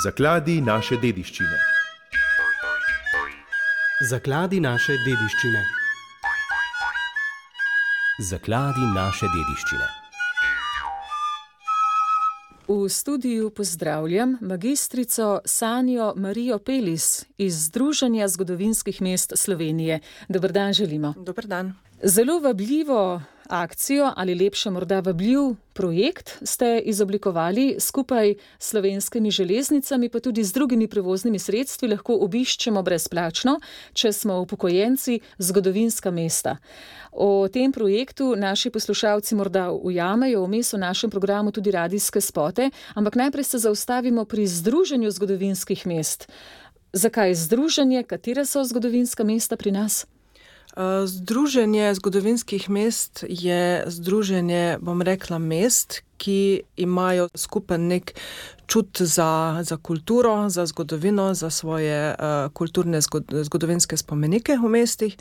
Zakladi naše dediščine. Zakladi naše dediščine. Zakladi naše dediščine. V studiu pozdravljam magistrico Sanjo Marijo Pelis iz Združenja zgodovinskih mest Slovenije. Dober dan želimo. Dober dan. Zelo vabljivo akcijo ali lepše morda vabljiv projekt ste izoblikovali skupaj s Slovenskimi železnicami, pa tudi z drugimi prevoznimi sredstvi lahko obiščemo brezplačno, če smo upokojenci, zgodovinska mesta. O tem projektu naši poslušalci morda ujamejo vmes v našem programu tudi radijske spote, ampak najprej se zaustavimo pri Združenju zgodovinskih mest. Zakaj združenje? Katera so zgodovinska mesta pri nas? Združenje zgodovinskih mest je združenje, bom rekla, mest, ki imajo skupen nek čut za kulturo, za zgodovino, za svoje kulturne zgodovinske spomenike v mestih.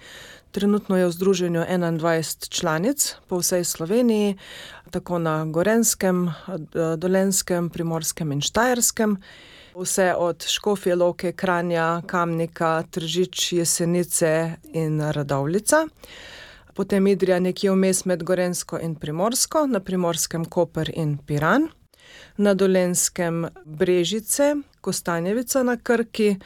Trenutno je v združenju 21 članic po vsej Sloveniji, tako na Gorenjskem, Dolenjskem, Primorskem in Štajerskem. Vse od Škofje Loke, Kranja, Kamnika, Tržič, Jesenice in Radovljica. Potem Idrija nekje vmes med Gorenjsko in Primorsko, na Primorskem Koper in Piran. Na Dolenjskem Brežice, Kostanjevica na Krki,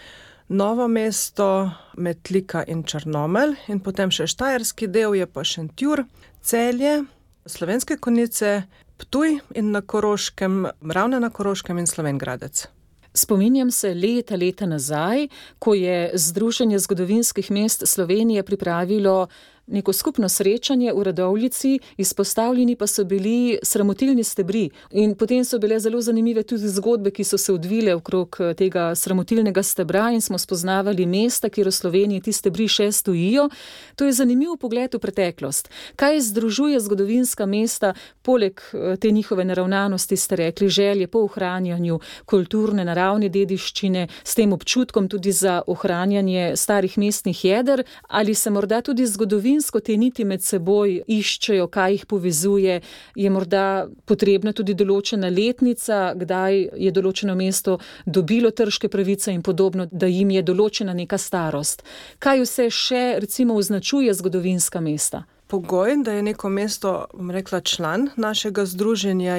Novo mesto, Metlika in Črnomelj. In potem še štajerski del je pa Šentjur, Celje, Slovenske Konjice, Ptuj in na Koroškem, Ravne na Koroškem in Slovenj Gradec. Spominjam se leta nazaj, ko je Združenje zgodovinskih mest Slovenije pripravilo neko skupno srečanje v Radovljici, izpostavljeni pa so bili sramotilni stebri. In potem so bile zelo zanimive tudi zgodbe, ki so se odvile okrog tega sramotilnega stebra in smo spoznavali mesta, kjer v Sloveniji ti stebri še stojijo. To je zanimiv pogled v preteklost. Kaj združuje zgodovinska mesta, poleg te njihove naravnanosti, ste rekli, želje po ohranjanju kulturne, naravne dediščine, s tem občutkom tudi za ohranjanje starih mestnih jeder, ali se morda tudi te niti med seboj iščejo, kaj jih povezuje, je morda potrebna tudi določena letnica, kdaj je določeno mesto dobilo trške pravice in podobno, da jim je določena neka starost. Kaj vse še recimo označuje zgodovinska mesta? Pogoj, da je neko mesto, bom rekla, član našega združenja,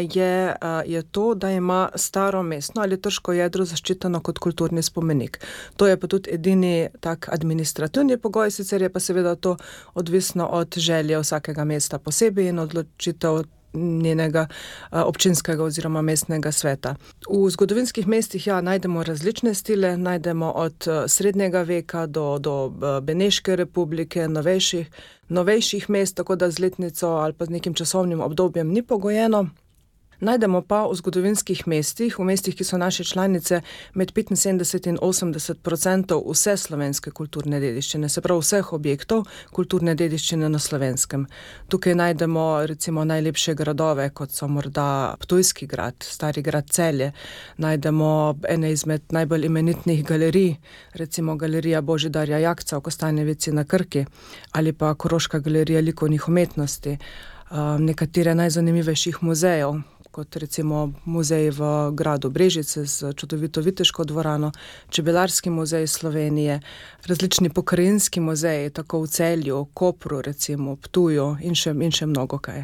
je to, da ima staro mestno ali trško jedro zaščiteno kot kulturni spomenik. To je pa tudi edini tak administrativni pogoj, sicer je pa seveda to odvisno od želje vsakega mesta posebej in odločitev njenega občinskega oziroma mestnega sveta. V zgodovinskih mestih najdemo različne stile, najdemo od srednjega veka do Beneške republike, novejših mest, tako da z letnico ali pa z nekim časovnim obdobjem ni pogojeno. Najdemo pa v zgodovinskih mestih, v mestih, ki so naše članice, med 75 in 80% vse slovenske kulturne dediščine, se pravi vseh objektov kulturne dediščine na Slovenskem. Tukaj najdemo recimo najlepše gradove, kot so morda Ptujski grad, Stari grad Celje. Najdemo ene izmed najbolj imenitnih galerij, recimo galerija Božidarja Jakca v Kostanjevici na Krki ali pa Koroška galerija likovnih umetnosti, nekatere najzanimivejših muzejev, kot recimo muzej v gradu Brežice z čudovito viteško dvorano, Čebelarski muzej Slovenije, različni pokrajinski muzeji, tako v Celju, Kopru, recimo, Ptuju in še mnogo kaj.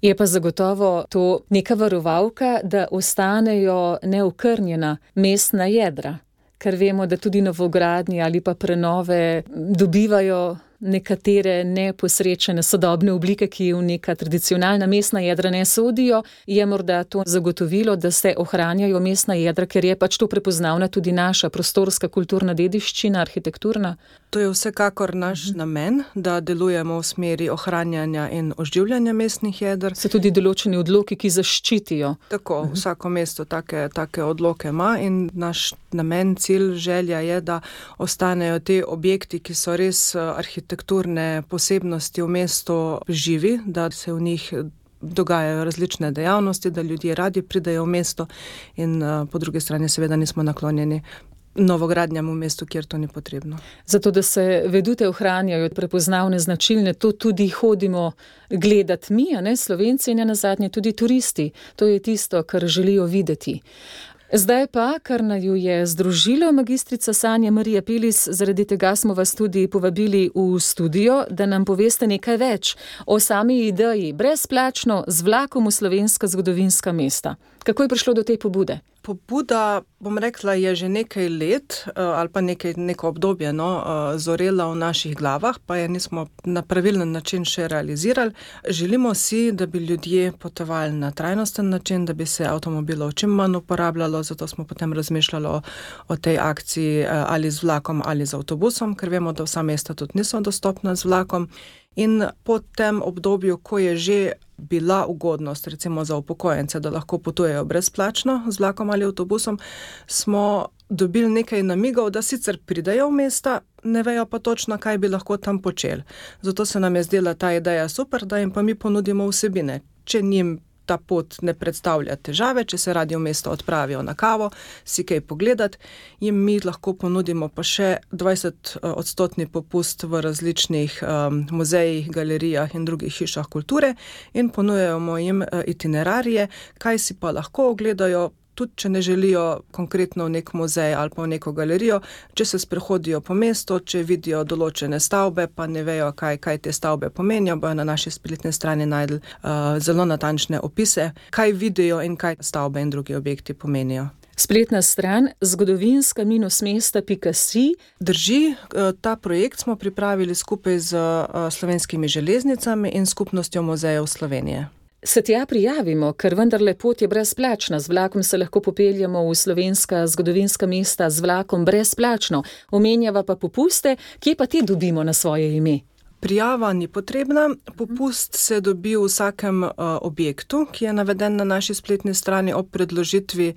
Je pa zagotovo to neka varovalka, da ostanejo neokrnjena mestna jedra, ker vemo, da tudi novogradnje ali pa prenove dobivajo nekatere neposrečene sodobne oblike, ki v neka tradicionalna mestna jedra ne sodijo. Je morda to zagotovilo, da se ohranjajo mestna jedra, ker je pač to prepoznavna tudi naša prostorska kulturna dediščina, arhitekturna? To je vsekakor naš namen, da delujemo v smeri ohranjanja in oživljanja mestnih jeder. So tudi določeni odloki, ki zaščitijo. Tako, vsako mesto take odloke ima in naš namen, cilj, želja je, da ostanejo te objekti, ki so res arhitekturne posebnosti v mestu živi, da se v njih dogajajo različne dejavnosti, da ljudje radi pridejo v mesto in po drugi strani seveda nismo naklonjeni novogradnjam v mestu, kjer to ni potrebno. Zato, da se vedute ohranjajo prepoznavne značilne, to tudi hodimo gledati mi, Slovenci in nenazadnje tudi turisti. To je tisto, kar želijo videti. Zdaj pa, kar naju je združilo, magistrica Sanja Marija Pelis, zaradi tega smo vas tudi povabili v studio, da nam poveste nekaj več o sami ideji brezplačno z vlakom v slovenska zgodovinska mesta. Kako je prišlo do te pobude? Pobuda, bom rekla, je že nekaj let ali pa neko obdobje zorela v naših glavah, pa je nismo na pravilen način še realizirali. Želimo si, da bi ljudje potovali na trajnosten način, da bi se avtomobilov čim manj uporabljalo, zato smo potem razmišljali o tej akciji ali z vlakom ali z avtobusom, ker vemo, da vsa mesta tudi niso dostopna z vlakom. In po tem obdobju, ko je že bila ugodnost, recimo za upokojence, da lahko potujejo brezplačno z vlakom ali avtobusom, smo dobili nekaj namigov, da sicer pridejo v mesta, ne vejo pa točno, kaj bi lahko tam počeli. Zato se nam je zdela ta ideja super, da jim pa mi ponudimo vsebine. Če njim ta pot ne predstavlja težave, če se radi v mesto odpravijo na kavo, si kaj pogledati, jim mi lahko ponudimo pa še 20% popust v različnih muzejih, galerijah in drugih hišah kulture in ponujemo jim itinerarije, kaj si pa lahko ogledajo, tudi če ne želijo konkretno v nek muzej ali pa v neko galerijo, če se sprehodijo po mestu, če vidijo določene stavbe, pa ne vejo, kaj te stavbe pomenijo, bojo na naši spletni strani najdli zelo natančne opise, kaj vidijo in kaj stavbe in drugi objekti pomenijo. Spletna stran zgodovinska-mesta.si. Drži, ta projekt smo pripravili skupaj z Slovenskimi železnicami in Skupnostjo muzejev Slovenije. Se tja prijavimo, ker vendarle pot je brezplačna. Z vlakom se lahko popeljamo v slovenska zgodovinska mesta z vlakom brezplačno. Omenjava pa popuste, kje pa te dobimo na svoje ime? Prijava ni potrebna, popust se dobi v vsakem objektu, ki je naveden na naši spletni strani ob predložitvi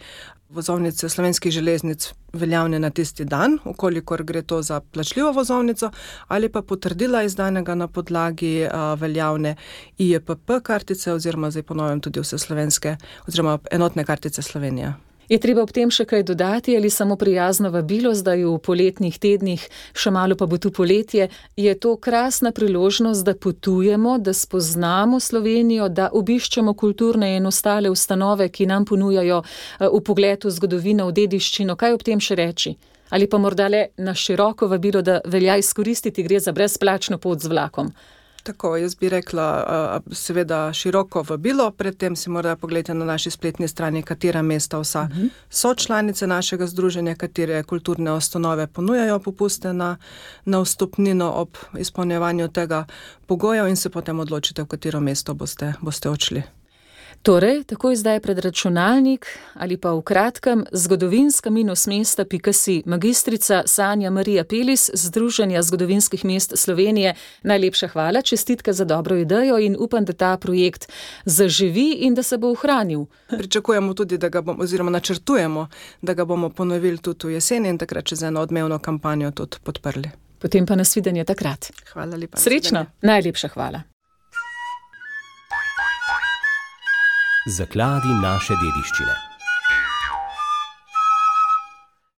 vozovnice Slovenskih železnic veljavne na tisti dan, ukolikor gre to za plačljivo vozovnico, ali pa potrdila izdanega na podlagi veljavne IEPP kartice oziroma zdaj ponovim tudi vse slovenske oziroma enotne kartice Slovenije. Je treba ob tem še kaj dodati ali samo prijazno vabilo, zdaj v poletnih tednih, še malo pa bo tu poletje, je to krasna priložnost, da potujemo, da spoznamo Slovenijo, da obiščemo kulturne in ostale ustanove, ki nam ponujajo vpogled v zgodovino, v dediščino. Kaj ob tem še reči? Ali pa morda le na široko vabilo, da velja izkoristiti, gre za brezplačno pot z vlakom? Tako, jaz bi rekla, seveda široko vabilo, predtem si morda pogledajte na naši spletni strani, katera mesta vsa so članice našega združenja, katere kulturne ustanove ponujajo popuste na vstopnino ob izpolnjevanju tega pogojev in se potem odločite, v katero mesto boste odšli. Torej, takoj zdaj pred računalnik ali pa v kratkem zgodovinska-mesta.si. Magistrica Sanja Marija Pelis, Združenja zgodovinskih mest Slovenije. Najlepša hvala, čestitke za dobro idejo in upam, da ta projekt zaživi in da se bo ohranil. Pričakujemo tudi, da ga bomo, oziroma načrtujemo, da ga bomo ponovili tudi v jeseni in takrat čez eno odmevno kampanjo tudi podprli. Potem pa nasvidenje takrat. Hvala lepa. Srečno, najlepša hvala. Zakladi naše dediščine.